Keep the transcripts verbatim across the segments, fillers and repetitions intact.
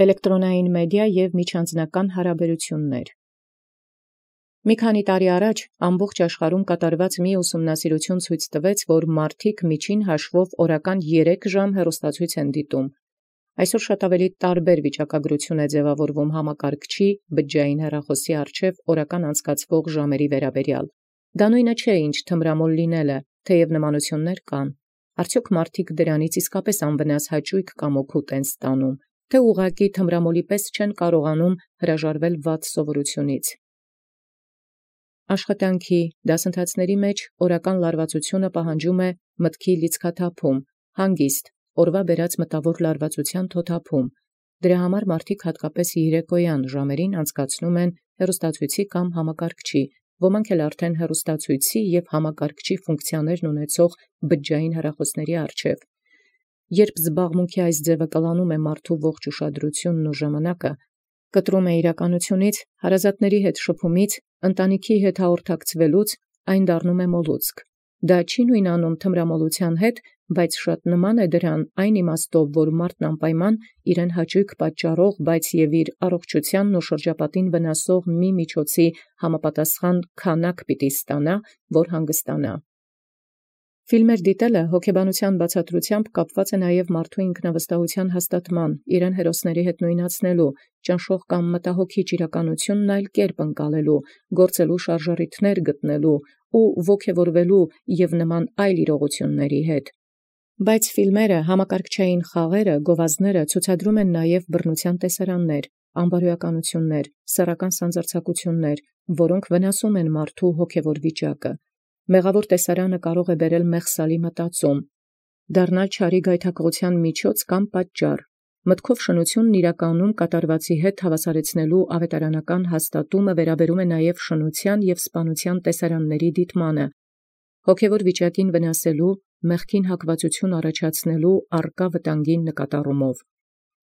Էլեկտրոնային մեդիա և միջանձնական հարաբերություններ։ Մի քանի տարի առաջ ամբողջ աշխարհում կատարված մի ուսումնասիրություն ցույց տվեց, որ մարդիկ միջին հաշվով օրական երեք ժամ հեռուստացույց են դիտում։ Այսօր շատ ավելի տարբեր վիճակագրություն է ձևավորվում համակարգչի բջջային հեռախոսի առջև օրական անցկացվող ժամերի վերաբերյալ։ Դա նույնը չէ, ինչ թմրամոլ լինելը, թեև նմանություններ կան։ Արդյոք մարդիկ դրանից իսկապես անվնաս հաճույք կամ օգուտ են ստանում, թե ուղղակի թմրամոլի պես չեն կարողանում հրաժարվել վատ սովորությունից։ Աշխատանքի դասընթացների մեջ օրական լարվածությունը պահանջում է մտքի լիցքաթափում, հանգիստ, օրվա բերած մտավոր լարվածության թոթափում։ Դրա համար մարդիկ հատկապես երեկոյան ժամերին անցկացնում են հեռուստացույցի կամ համակարգչի, ոմանք էլ արդեն հեռուստացույցի և համակարգչի ֆունկցիաներն ունեցող բջջային հեռախոսների առջև։ Երբ զբաղմունքի այս ձևը կլանում է մարդու ողջ ուշադրությունն ու ժամանակը, կտրում է իրականությունից, հարազատների հետ շփումից, ընտանիքի հետ հաղորդակցվելուց, այն դառնում է մոլուցք։ Դա չի նույնանում թմրամոլության հետ, բայց շատ նման է դրան այն իմաստով, որ մարդն անպայման իրեն հաճույք պատճառող, բայց և իր առողջությանն ու շրջապատին վնասող մի միջոցի համապատասխան քանակ պիտի ստանա, որ հանգստանա։ Ֆիլմեր դիտելը հոգեբանության բացատրությամբ կապված է նաև մարդու ինքնավստահության հաստատման, իրեն հերոսների հետ նույնացնելու, ճնշող կամ մտահոգիչ իրականությունն այլ կերպ ընկալելու, գործելու շարժառիթներ գտնելու ու ոգևորվելու և նման այլ իրողությունների հետ։ Բայց ֆիլմերը, համակարգչային խաղերը, գովազդները ցուցադրում են նաև բռնության տեսարաններ, անբարոյականություններ, սեռական սանձարձակություններ, որոնք վնասում են մարդու հոգևոր վիճակը։ Մեղավոր տեսարանը կարող է բերել մեղսալի մտածում, դառնալ չարի գայթակղության միջոց կամ պատճառ։ Մտքով շնությունն իրականում կատարվածի հետ հավասարեցնելու ավետարանական հաստատումը վերաբերում է նաև շնության և սպանության տեսարանների դիտմանը, հոգևոր վիճակին վնասելու, մեղքին հակվածություն առաջացնելու առկա վտանգին նկատառումով։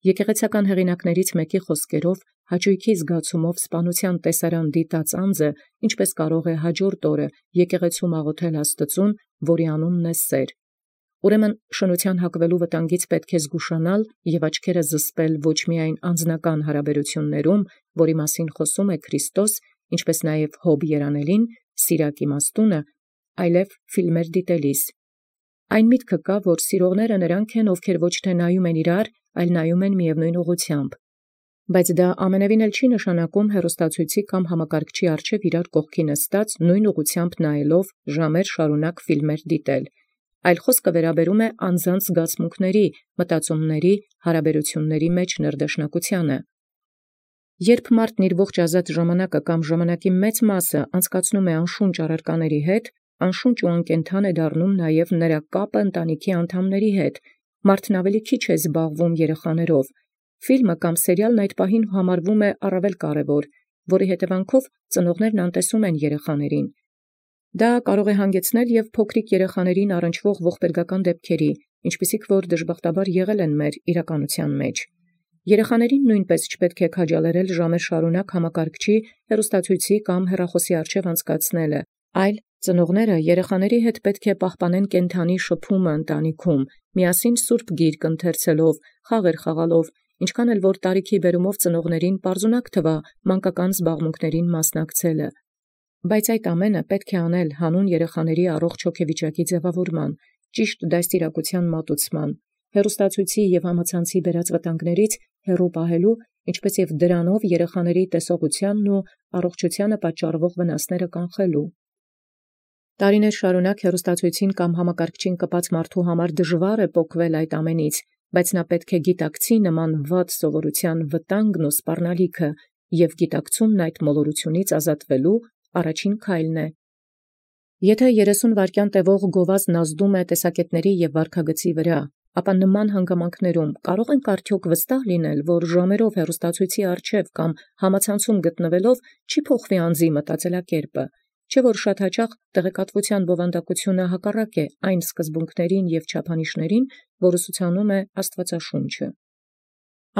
Եկեղեցական հեղինակներից մեկի խոսքերով, հաճույքի զգացումով սպանության տեսարան դիտած անձը, ինչպես կարող է հաջորդ օրը եկեղեցում աղոթել Աստծուն, որի անունն է սեր։ Ուրեմն շնության հակվելու վտանգից պետք է զգուշանալ և աչքերը զսպել ոչ միայն անձնական հարաբերություններում, որի մասին խոսում է Քրիստոս, ինչպես նաև Հոբ երանելին, սիրակ իմաստունը, այլև ֆիլմեր դիտելիս։ Այն միտքը կա, որ սիրողները նրանք են, ովքեր ոչ թե նայում են իրար, այլ նայում են միևնույն ուղղությամբ։ Բայց դա ամենևին էլ չի նշանակում հեռուստացույցի կամ համակարգչի առջև իրար կողքի նստած նույն ուղղությամբ նայելով ժամեր շարունակ ֆիլմեր դիտել, այլ խոսքը վերաբերում է անձանց զգացմունքների, մտածումների, հարաբերությունների մեջ ներդաշնակությանը։ Երբ մարդն իր ողջ ազատ ժամանակը կամ ժամանակի մեծ մասը անցկացնում է անշունչ առարկաների հետ, անշունչ ու անկենդան է դառնում նաև նրա կապը ընտանիքի անդամների հետ, մարդն ավելի քիչ է զբաղվում երեխաներով։ Ֆիլմը կամ սերիալն այդ պահին համարվում է առավել կարևոր, որի հետևանքով ծնողներն անտեսում են երեխաներին։ Դա կարող է հանգեցնել և փոքրիկ երեխաներին առնչվող ողբերգական դեպքերի, ինչպիսիք որ դժբախտաբար եղել են մեր իրականության մեջ։ Երեխաներին նույնպես չպետք է քաջալերել ժամեր շարունակ համակարգչի, հեռուստացույցի կամ հեռախոսի առջև անցկացնելը, այլ ծնողները երեխաների հետ պետք է պահպանեն կենդանի շփումը ընտանիքում, միասին սուրբ գիրք ընթերցելով, խաղեր խաղալով, ինչքան էլ որ տարիքի բերումով ծնողներին պարզունակ թվա մանկական զբաղմունքներին մասնակցելը։ Բայց այդ ամենը պետք է անել հանուն երեխաների առողջ հոգեվիճակի ձևավորման, ճիշտ դաստիարակության մատուցման, հեռուստացույցի և համացանցի բերած վտանգներից հեռու պահելու, ինչպես և դրանով երեխաների տեսողությանն ու առողջությանը պատճառվող վնասները կանխելու։ Տարիներ շարունակ հեռուստացույցին կամ համակարգչին կպած մարդու համար դժվար է պոկվել այդ ամենից, բայց նա պետք է գիտակցի նման վատ սովորության վտանգն ու սպառնալիքը և գիտակցումն այդ մոլորությունից ազատվելու առաջին քայլն է։ Եթե երեսուն վայրկյան տևող գովազդն ազդում է տեսակետների և վարքագծի վրա, ապա նման հանգամանքներում կարող ենք արդյոք վստահ լինել, որ ժամերով հեռուստացույցի առջև կամ համացանցում գտնվելով չի փոխվի անձի մտածելակերպը, չէ՞ որ շատ հաճախ տեղեկատվության բովանդակությունը հակառակ է այն սկզբունքներին և չափանիշներին, որ ուսուցանում է Աստվածաշունչը։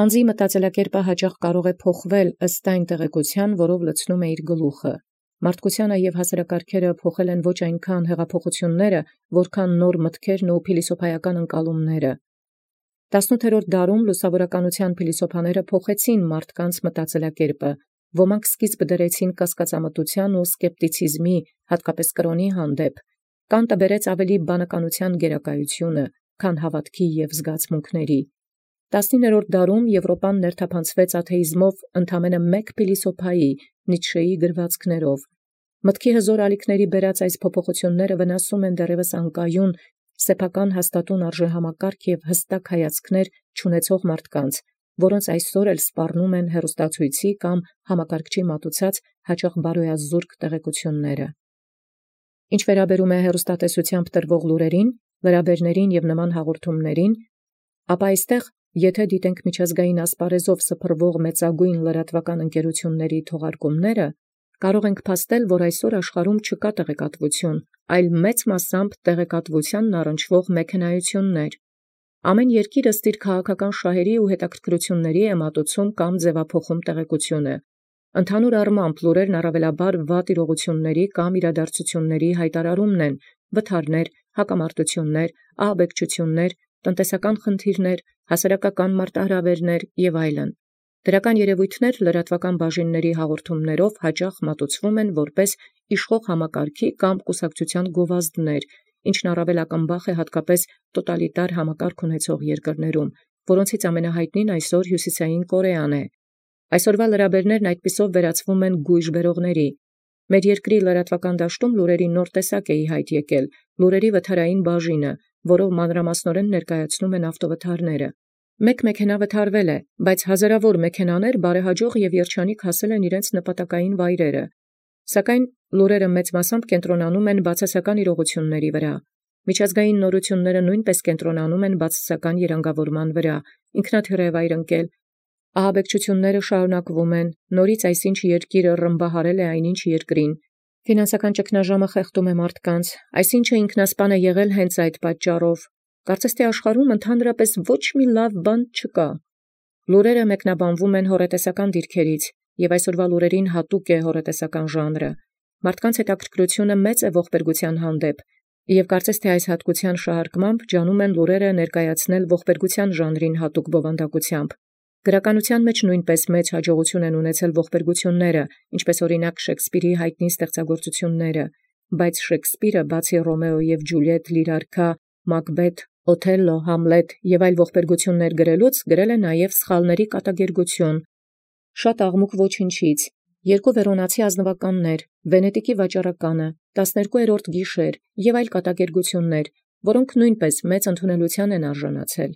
Անձի մտածելակերպը հաճախ կարող է փոխվել ըստ այն տեղեկության, որով լցնում է իր գլուխը։ Մարդկությանը և հասարակարգերը փոխել են ոչ այնքան հեղափոխությունները, որքան նոր մտքերն ու փիլիսոփայական ընկալումները։ Տասնութերորդ դարում լուսավորականության փիլիսոփաները փոխեցին մարդկանց մտածելակերպը, ոմանք սկիզբ դրեցին կասկածամտության ու սկեպտիցիզմի, հատկապես կրոնի հանդեպ, Կանտը բերեց ավելի բանականության գերակայությունը, քան հավատքի և զգացմունքների։ Տասնիններորդ դարում Եվրոպան ներթափանցվեց աթեիզմով ընդամենը մեկ փիլիսոփայի՝ Նիցշեի գրվածքներով։ Մտքի հզոր ալիքների բերած այս փոփոխությունները վնասում են դեռևս անկայուն, սեփական հաստատուն արժեհամակարգ և հստակ հայացքներ չունեցող մարդկանց, որոնց այսօր էլ սպառնում են հեռուստացույցի կամ համակարգչի մատուցած հաճախ բարոյազուրկ տեղեկությունները։ Ինչ վերաբերում է հեռուստատեսությամբ տրվող լուրերին, լրաբերներին և նման հաղորդումներին, ապա այստեղ, եթե դիտենք միջազգային ասպարեզով սփռվող մեծագույն լրատվական ընկերությունների թողարկումները, կարող ենք փաստել, որ այսօր աշխարհում չկա տեղեկատվություն, այլ մեծ մասամբ տեղեկատվությանն առնչվող մեքենայություններ։ Ամեն երկիր ըստ իր քաղաքական շահերի ու հետաքրքրությունների է մատուցում կամ ձևափոխում տեղեկությունը։ Ընդհանուր առմամբ լուրերն առավելաբար վատ իրողությունների կամ իրադարձությունների հայտարարումն են, վթարներ, հակամարտություններ, ահաբեկչություններ, տնտեսական խնդիրներ, հասարակական մարտահրավերներ և այլն։ Դրական երևույթներ լրատվական բաժինների հաղորդումներով հաճախ մատուցվում են որպես իշխող համակարգի կամ կուսակցության գովազդներ, ինչն առավել ակնբախ է հատկապես տոտալիտար համակարգ ունեցող երկրներում, որոնցից ամենահայտնին այսօր Հյուսիսային Կորեան է։ Այսօրվա լրաբերներն այդպիսով վերածվում են գույժ բերողների։ Մեր երկրի լրատվական դաշտում լուրերի նոր տեսակ է ի հայտ եկել՝ լուրերի վթարային բաժինը, որով մանրամասնորեն ներկայացնում են ավտովթարները։ Մեկ մեքենա վթարվել է, բայց հազարավոր մեքենաներ բարեհաջող և երջանիկ հասել են իրենց նպատակային վայրերը։ Սակայն լուրերը մեծ մասամբ կենտրոնանում են բացասական իրողությունների վրա։ Միջազգային նորությունները նույնպես կենտրոնանում են բացասական երանգավորման վրա, ինքնաթիռ է վայր ընկել, ահաբեկչությունները շարունակվում են, նորից այսինչ երկիրը ռմբահարել է այնինչ երկրին, ֆինանսական ճգնաժամը խեղդում է մարդկանց, այսինչը ինքնասպան է եղել հենց այդ պատճառով։ Կարծես թե աշխարհում ընդհանրապես ոչ մի լավ բան չկա։ Լուրերը մեկնաբանվում են հոռետեսական դիրքերից, և այսօրվա լուրերին հատուկ է հոռետեսական ժանրը։ Մարդկանց հետաքրքրությունը մեծ է ողբերգության հանդեպ, և կարծես թե այս հատկության շահարկմամբ ջանում են լուրերը ներկայացնել ողբերգության ժանրին հատուկ բովանդակությամբ։ Գրականության մեջ նույնպես մեծ հաջողություն են ունեցել ողբերգությունները, ինչպես օրինակ Շեքսպիրի հայտնի ստեղծագործությունները, բայց Շեքսպիրը բացի Ռոմեո և Ջուլիետ լիրարքա, Մակբեթ, Օթելլո, Համլետ և այլ ողբերգություններ գրելուց գրել է նաև սխալների կատակերգություն, շատ աղմուկ ոչնչից, երկու վերոնացի ազնվականներ, Վենետիկի վաճառականը, տասներկուերորդ գիշեր և այլ կատակերգություններ, որոնք նույնպես մեծ ընդունելության են արժանացել։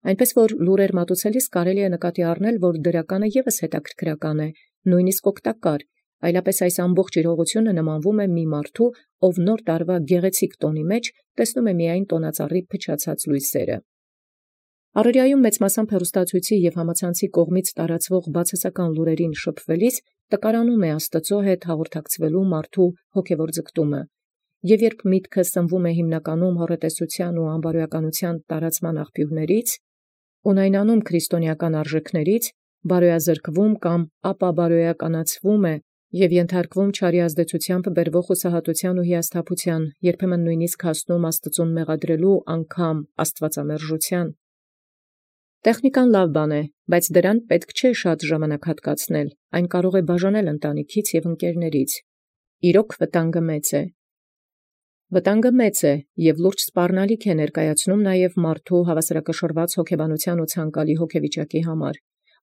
Այնպես որ լուրեր մատուցելիս կարելի է նկատի առնել, որ դրականը ևս հետաքրքրական է, նույնիսկ օգտակար, այլապես այս ամբողջ իրողությունը նմանվում է մի մարդու, ով նոր տարվա գեղեցիկ տոնի մեջ տեսնում է միայն տոնածառի փչացած լույսերը։ Առօրյայում մեծ մասամբ հեռուստացույցի և համացանցի կողմից տարածվող բացասական լուրերին շփվելիս տկարանում է Աստծո հետ հաղորդակցվելու մարդու հոգևոր ձգտումը։ Եվ երբ միտքը սնվում է հիմնականում հոռետեսության ու անբարոյականության տարածման աղբյուրներից, ունայնանում քրիստոնեական արժեքներից, բարոյազրկվում կամ ապաբարոյականացվում է և ենթարկվում չարի ազդեցությամբ բերվող հուսահատության ու հիասթափության, երբեմն նույնիսկ հասնում Աստծուն մեղադրելու անգամ աստվածամերժության։ Տեխնիկան լավ բան է, բայց դրան պետք չէ շատ ժամանակ հատկացնել, այն կարող է բաժանել ընտանիքից և ընկերներից։ Իրոք վտանգը մեծ է։ Վտանգը մեծ է և լուրջ սպառնալիք է ներկայացնում նաև մարդու հավասարակշռված հոգեբանության ու ցանկալի հոգեվիճակի համար։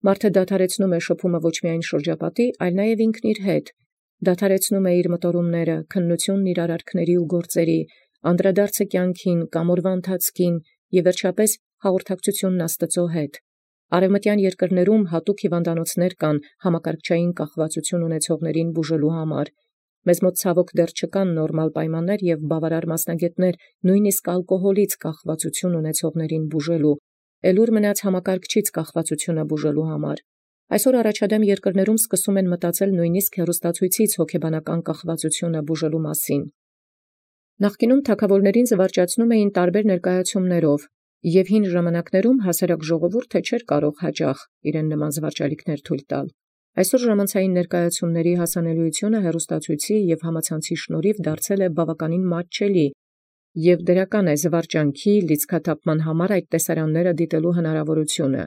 Մարդը դադարեցնում է շփումը ոչ միայն շրջապատի, այլ նաև ինքն իր հետ, դադարեցնում է իր մտորումները, քննությունն իր արարքների ու գործերի, անդրադարձը կյանքին կամ օրվա ընթացքին և վերջապես հաղորդակցությունն Աստծո հետ։ Արևմտյան երկրներում հատուկ հիվանդանոցներ կան համակարգչային կախվածություն ունեցողներին բուժելու համար։ Մեզ մոտ ցավոք դեռ չկան նորմալ պայմաններ և բավարար մասնագետներ նույնիսկ ալկոհոլից կախվածություն ունեցողներին բուժելու, էլուր մնաց համակարգչից կախվածությունը բուժելու համար։ Այսօր առաջադեմ երկրներում սկսում են մտածել նույնիսկ հեռուստացույցից հոգեբանական կախվածությունը բուժելու մասին։ Նախկինում թագավորներին զվարճացնում էին տարբեր ներկայացումներով, և հին ժամանակներում հասարակ ժողովուրդը չէր կարող հաճախ իրեն նման զվարճալիքներ թույլ տալ։ Այսօր ժամանցային ներկայացումների հասանելիությունը հեռուստացույցի և համացանցի շնորհիվ դարձել է բավականին մատչելի, և դրական է զվարճանքի լիցքաթափման համար այդ տեսարանները դիտելու հնարավորությունը։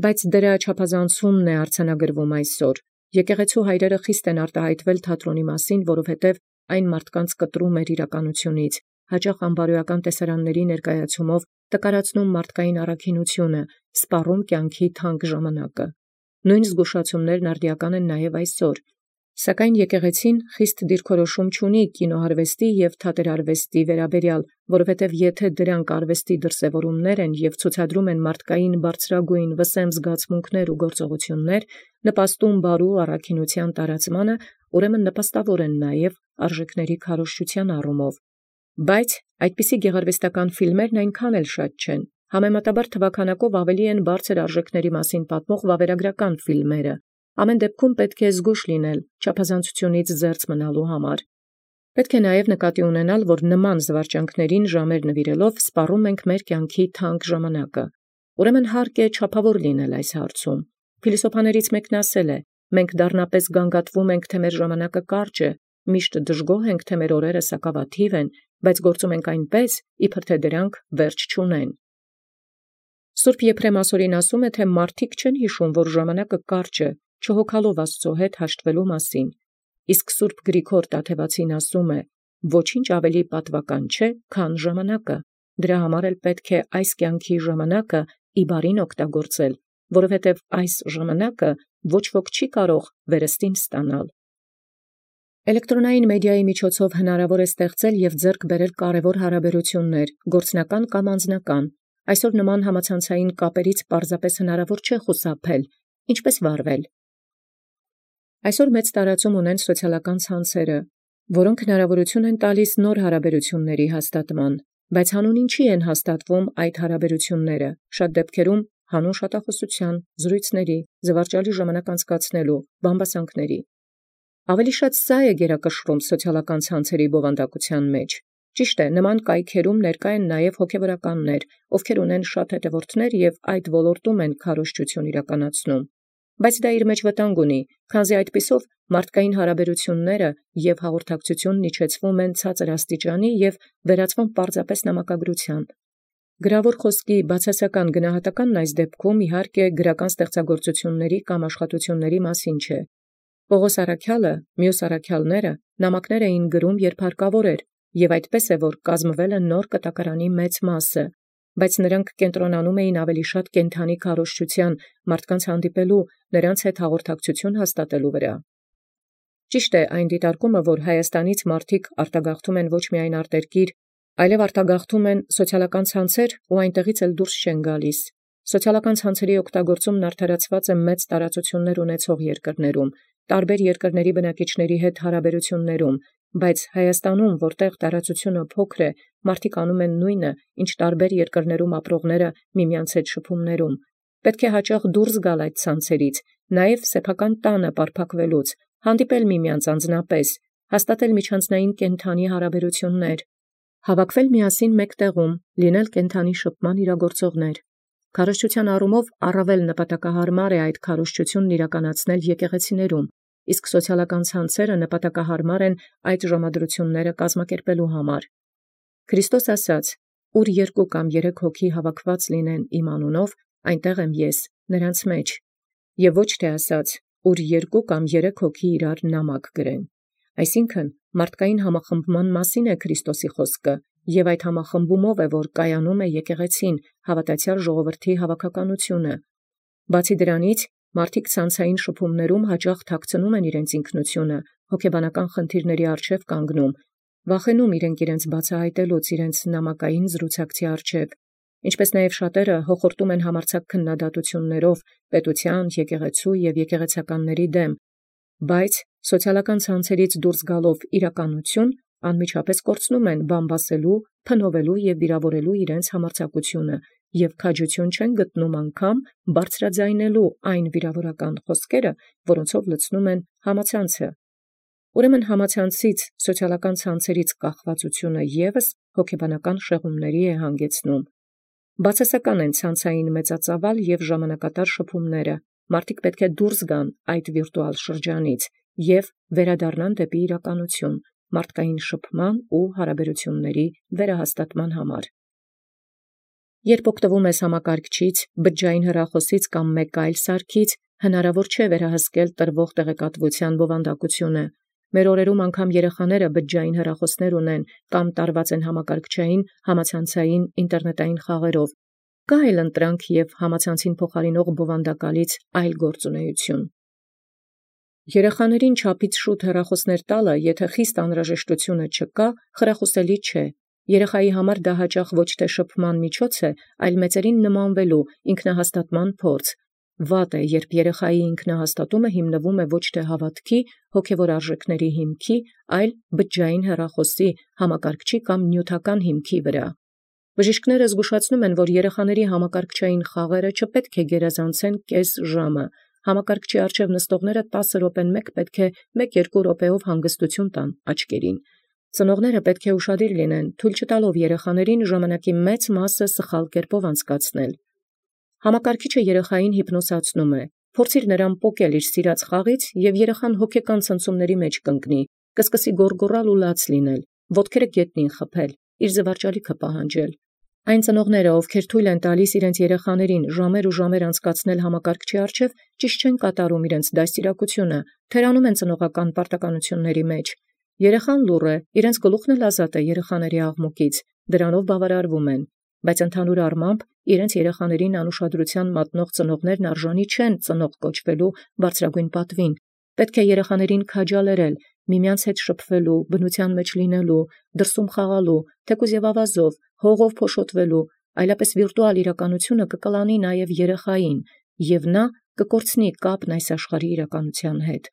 Բայց դրա չափազանցումն է արձանագրվում այսօր։ Եկեղեցու հայրերը խիստ են արտահայտվել թատրոնի մասին, որովհետև այն մարդկանց կտրում էր իրականությունից, հաճախ անբարոյական տեսարանների ներկայացումով տկարացնում մարդկային առաքինությունը, սպառում կյանքի թանկ ժամանակը։ Նույն զգուշացումներն արդիական են նաև այսօր։ Սակայն եկեղեցին խիստ դիրքորոշում չունի կինոարվեստի և թատերարվեստի վերաբերյալ, որովհետև եթե դրանք արվեստի դրսևորումներ են և ցուցադրում են մարդկային բարձրագույն վսեմ զգացմունքներ ու գործողություններ, նպաստում բարու առաքինության տարածմանը, ուրեմն նպաստավոր են նաև արժեքների քարոզչության առումով։ Բայց այդպիսի գեղարվեստական ֆիլմերն այնքան էլ շատ չեն, համեմատաբար թվաքանակով ավելի են բարձր արժեքների մասին պատմող վավերագրական ֆիլմերը։ Ամեն դեպքում պետք է զգույշ լինել չափազանցությունից զերծ մնալու համար։ Պետք է նաև նկատի ունենալ, որ նման զվարճանքներին ժամեր նվիրելով սպառում ենք մեր կյանքի թանկ ժամանակը։ Ուրեմն հարկ է չափավոր լինել այս հարցում։ Փիլիսոփաներից մեկն ասել է. «Մենք դառնապես գանգատվում ենք, թե մեր ժամանակը կարճ է, միշտ դժգոհ ենք, թե մեր օրերը սակավաթիվ են, բայց գործում ենք այնպես, իբր թե դրանք վերջ չունեն»։ Սուրբ Եփրեմ ասորին ասում է, թե մարդիկ չեն հիշում, որ ժամանակը կարճ է, չհոգալով Աստծո հետ հաշտվելու մասին։ Իսկ Սուրբ Գրիգոր Տաթևացին ասում է. «Ոչինչ ավելի պատվական չէ, քան ժամանակը, դրա համար էլ պետք է այս կյանքի ժամանակը ի բարին օգտագործել, որովհետև այս ժամանակը ոչ ոք չի կարող վերստին ստանալ»։ Էլեկտրոնային մեդիայի միջոցով հնարավոր է ստեղծել և ձեռք բերել կարևոր հարաբերություններ, գործնական կամ անձնական։ Այսօր նման համացանցային կապերից պարզապես հնարավոր չէ խուսափել, ինչպես վարվել։ Այսօր մեծ տարածում ունեն սոցիալական ցանցերը, որոնք հնարավորություն են տալիս նոր հարաբերությունների հաստատման, բայց հանուն ինչի են հաստատվում այդ հարաբերությունները, շատ դեպքերում հանուն շատախոսության, զրույցների, զվարճալի ժամանակ անցկացնելու, բամբասանքների։ Ավելի շատ սա է գերակշռում սոցիալական ցանցերի բովանդակության մեջ։ Ճիշտ է, նման կայքերում ներկա են նաև հոգևորականներ, ովքեր ունեն շատ հետևորդներ և այդ ոլորտում են քարոզչություն իրականացնում։ Բայց դա իր մեջ վտանգ ունի, քանզի այդպիսով մարդկային հարաբերությունները և հաղորդակցությունն իջեցվում են ցածր աստիճանի և վերածվում պարզապես նամակագրության։ Գրավոր խոսքի բացասական գնահատականն այս դեպքում իհարկե գրական ստեղծագործությունների կամ աշխատությունների մասին չէ։ Պողոս առաքյալը, մյուս առաքյալները նամակներ էին գրում, երբ հարկավոր էր, և այդպես է, որ կազմվել է նոր կտակարանի մեծ մասը, բայց նրանք կենտրոնանում էին ավելի շատ կենդանի քարոզչության, մարդկանց հանդիպելու, նրանց հետ հաղորդակցություն հաստատելու վրա։ Ճիշտ է այն դիտարկումը, որ Հայաստանից մարդիկ արտագաղթում են ոչ միայն արտերկիր, այլև արտագաղթում են սոցիալական ցանցեր ու այնտեղից էլ դուրս չեն գալիս։ Սոցիալական ցանցերի օգտագործումն արդարացված է մեծ տարածություններ ունեցող երկրներում, տարբեր երկրների բնակիչների հետ հարաբերություններում, բայց Հայաստանում, որտեղ տարածությունը փոքր է, մարդիկ անում են նույնը, ինչ տարբեր երկրներում ապրողները միմյանց հետ շփումներում։ Պետք է հաճախ դուրս գալ այդ ցանցերից, նաև սեփական տանը պարփակվելուց, հանդիպել միմյանց անձնապես, հաստատել միջանձնային կենդանի հարաբերություններ, հավաքվել միասին մեկ տեղում, լինել կենդանի շփման իրագործողներ։ Քարոզչության առումով առավել նպատակահարմար է այդ քարոզչությունն իրականացնել եկեղեցիներում, իսկ սոցիալական ցանցերը նպատակահարմար են այդ ժամադրությունները կազմակերպելու համար։ Քրիստոս ասաց. «Ուր երկու կամ երեք հոգի հավաքված լինեն իմ անունով, այնտեղ եմ ես նրանց մեջ», և ոչ թե ասաց. «Ուր երկու կամ երեք հոգի իրար նամակ գրեն»։ Այսինքն մարդկային համախմբման մասին է Քրիստոսի խոսքը, և այդ համախմբումով է, որ կայանում է եկեղեցին, հավատացյալ ժողովրդի հավաքականությունը։ Բացի դրանից, մարդիկ ցանցային շփումներում հաճախ թաքցնում են իրենց ինքնությունը, հոգեբանական խնդիրների առջև կանգնում, վախենում իրենք իրենց բացահայտելուց իրենց նամակային զրուցակցի առջև, ինչպես նաև շատերը հոխորտում են համարձակ քննադատություններով պետության, եկեղեցու և եկեղեցականների դեմ, բայց սոցիալական ցանցերից դուրս գալով իրականություն, անմիջապես կորցնում են բամբասելու, փնովելու և վիրավորելու իրենց համարձակությունը և քաջություն չեն գտնում անգամ բարձրաձայնելու այն վիրավորական խոսքերը, որոնցով լցնում են համացանցը։ Ուրեմն համացանցից, սոցիալական ցանցերից կախվածությունը ևս հոգեբանական շեղումների է հանգեցնում։ Բացասական են ցանցային մեծածավալ և ժամանակատար շփումները, մարդիկ պետք է դուրս գան այդ վիրտուալ շրջանից և վերադառնան դեպի իրականություն, մարդկային շփման ու հարաբերությունների վերահաստատման համար։ Երբ օգտվում ես համակարգչից, բջջային հեռախոսից կամ մեկ այլ սարքից, հնարավոր չէ վերահսկել տրվող տեղեկատվության բովանդակությունը։ Մեր օրերում անգամ երեխաները բջջային հեռախոսներ ունեն կամ տարված են համակարգչային, համացանցային, ինտերնետային խաղերով։ Կա այլ ընտրանք և համացանցին փոխարինող բովանդակալից այլ գործունեություն։ Երեխաներին չափից շուտ հեռախոսներ տալը, եթե խիստ անհրաժեշտությունը չկա, խրախուսելի չէ։ Երեխայի համար դա հաճախ ոչ թե շփման միջոց է, այլ մեծերին նմանվելու, ինքնահաստատման փորձ։ Վատ է, երբ երեխայի ինքնահաստատումը հիմնվում է ոչ թե հավատքի, հոգևոր արժեքների հիմքի, այլ բջջային հեռախոսի, համակարգչի կամ նյութական հիմքի վրա։ Բժիշկները զգուշացնում են, որ երեխաների համակարգչային խաղերը չպետք է գերազանցեն կես ժամը։ Համակարգչի առջև նստողները տասը րոպեն մեկ պետք է մեկ-երկու րոպեով հանգստություն տան աչքերին։ Ծնողները պետք է ուշադիր լինեն, թույլ չտալով երեխաներին ժամանակի մեծ մասը սխալ կերպով անցկացնել։ Համակարգիչը երեխային հիպնոսացնում է։ Փորձիր նրան պոկել իր սիրած խաղից, և երեխան հոգեկան ցնցումների մեջ կընկնի, կսկսի գոռգոռալ ու լաց լինել, ոտքերը գետնին խփել, իր զվարճալիքը պահանջել։ Այն ծնողները, ովքեր թույլ են տալիս իրենց երեխաներին ժամեր ու ժամեր անցկացնել համակարգչի առջև, ճիշտ չեն կատարում իրենց դաստիարակությունը, թերանում են ծնողական պարտականությունների մեջ։ Երեխան լուռ է, իրենց գլուխն էլ ազատ է երեխաների աղմուկից, դրանով բավարարվում են, բայց ընդհանուր առմամբ իրենց երեխաներին անուշադրության մատնող ծնողներն արժանի չեն ծնող կոչվելու բարձրագույն պատվին։ Պետք է երեխաներին քաջալերել, միմյանց հետ շփվելու, բնության մեջ լինելու, դրսում խաղալու, թեկուզ և ավազով, հողով փոշոտվելու, այլապես վիրտուալ իրականությունը կկլանի նաև երեխային, և նա կկորցնի կապն այս աշխարհի իրականության հետ։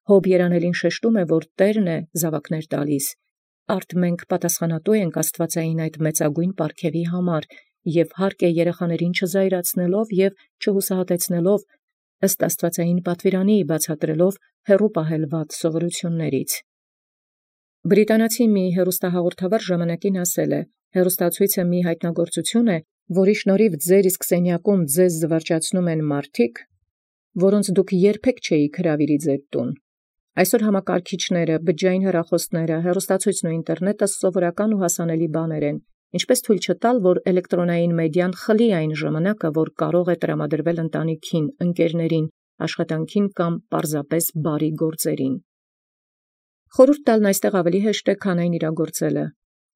Հոբ երանելին շեշտում է, որ Տերն է զավակներ տալիս։ Արդ մենք պատասխանատու ենք աստվածային այդ մեծագույն պարգևի համար, և հարկ է երեխաներին չզայրացնելով և չհուսահատեցնելով, ըստ աստվածային պատվիրանի բացատրելով հեռու պահել վատ սովորություններից։ Բրիտանացի մի հեռուստահաղորդավար ժամանակին ասել է. հեռուստացույցը մի հայտնագործություն է, որի շնորհիվ ձեր իսկ սենյակում ձեզ զվարճացնում են մարդիկ, որոնց դուք երբեք չէիք հրավիրի ձեր տուն։ Այսօր համակարգիչները, բջջային հեռախոսները, հեռուստացույցն ու ինտերնետը սովորական ու հասանելի բաներ են։ Ինչպես թույլ չտալ, որ էլեկտրոնային մեդիան խլի այն ժամանակը, որ կարող է տրամադրվել ընտանիքին, ընկերներին, աշխատանքին կամ պարզապես բարի գործերին։ Խորհուրդ տալն այստեղ ավելի հեշտ է, քան այն իրագործելը։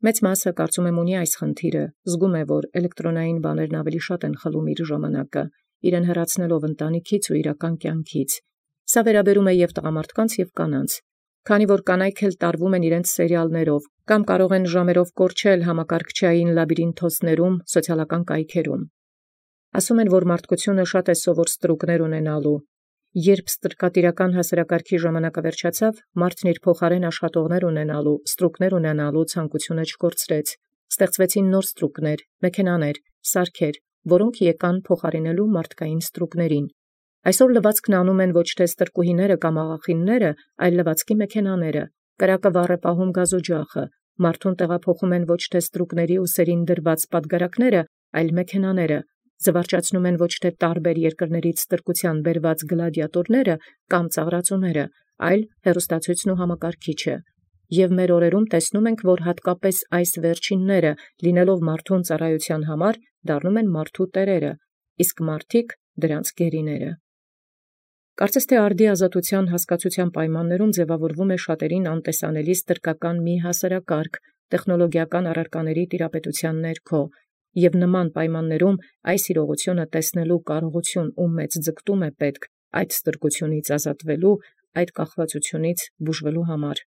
Մեծ մասը կարծում եմ ունի այս խնդիրը, զգում է, որ էլեկտրոնային բաներն ավելի շատ են խլում իր ժամանակը, իրեն հեռացնելով ընտանիքից ու իրական կյանքից։ Սա վերաբերում է և տղամարդկանց, և կանանց։ Քանի որ կանայք էլ տարվում են իրենց սերիալներով, կամ կարող են ժամերով կորչել համակարգչային լաբիրինթոսներում, սոցիալական կայքերում։ Ասում են, որ մարդկությունը շատ է սովոր ստրուկներ ունենալու։ Երբ ստրկատիրական հասարակարգի ժամանակը վերջացավ, մարդն իր փոխարեն աշխատողներ ունենալու, ստրուկներ ունենալու ցանկությունը չկորցրեց։ Ստեղծվեցին նոր ստրուկներ, մեքենաներ, սարքեր, որոնք եկան փոխարինելու մարդկային ստրուկներին։ Այսօր լվացքն անում են ոչ թե ստրկուհիները կամ աղախինները, այլ լվացքի մեքենաները, կրակը վառ է պահում գազօջախը, մարդուն տեղափոխում են ոչ թե ստրուկների ուսերին դրված պատգարակները, այլ մեքենաները, զվարճացնում են ոչ թե տարբեր երկրներից ստրկության բերված գլադիատորները կամ ծաղրածուները, այլ հեռուստացույցն ու համակարգիչը։ Եվ մեր օրերում տեսնում ենք, որ հատկապես այս վերջինները, լինելով մարդուն ծառայության համար, դառնում են մարդու տերերը, իսկ մարդիկ դրանց գերիները։ Կարծես թե արդի ազատության հասկացության պայմաններում ձևավորվում է շատերին անտեսանելի ստրկական մի հասարակարգ, տեխնոլոգիական առարկաների տիրապետության ներքո, և նման պայմաններում այս իրողությունը տեսնելու կարողություն ու մեծ ձգտում է պետք այդ ստրկությունից ազատվելու, այդ կախվածությունից բուժվելու համար։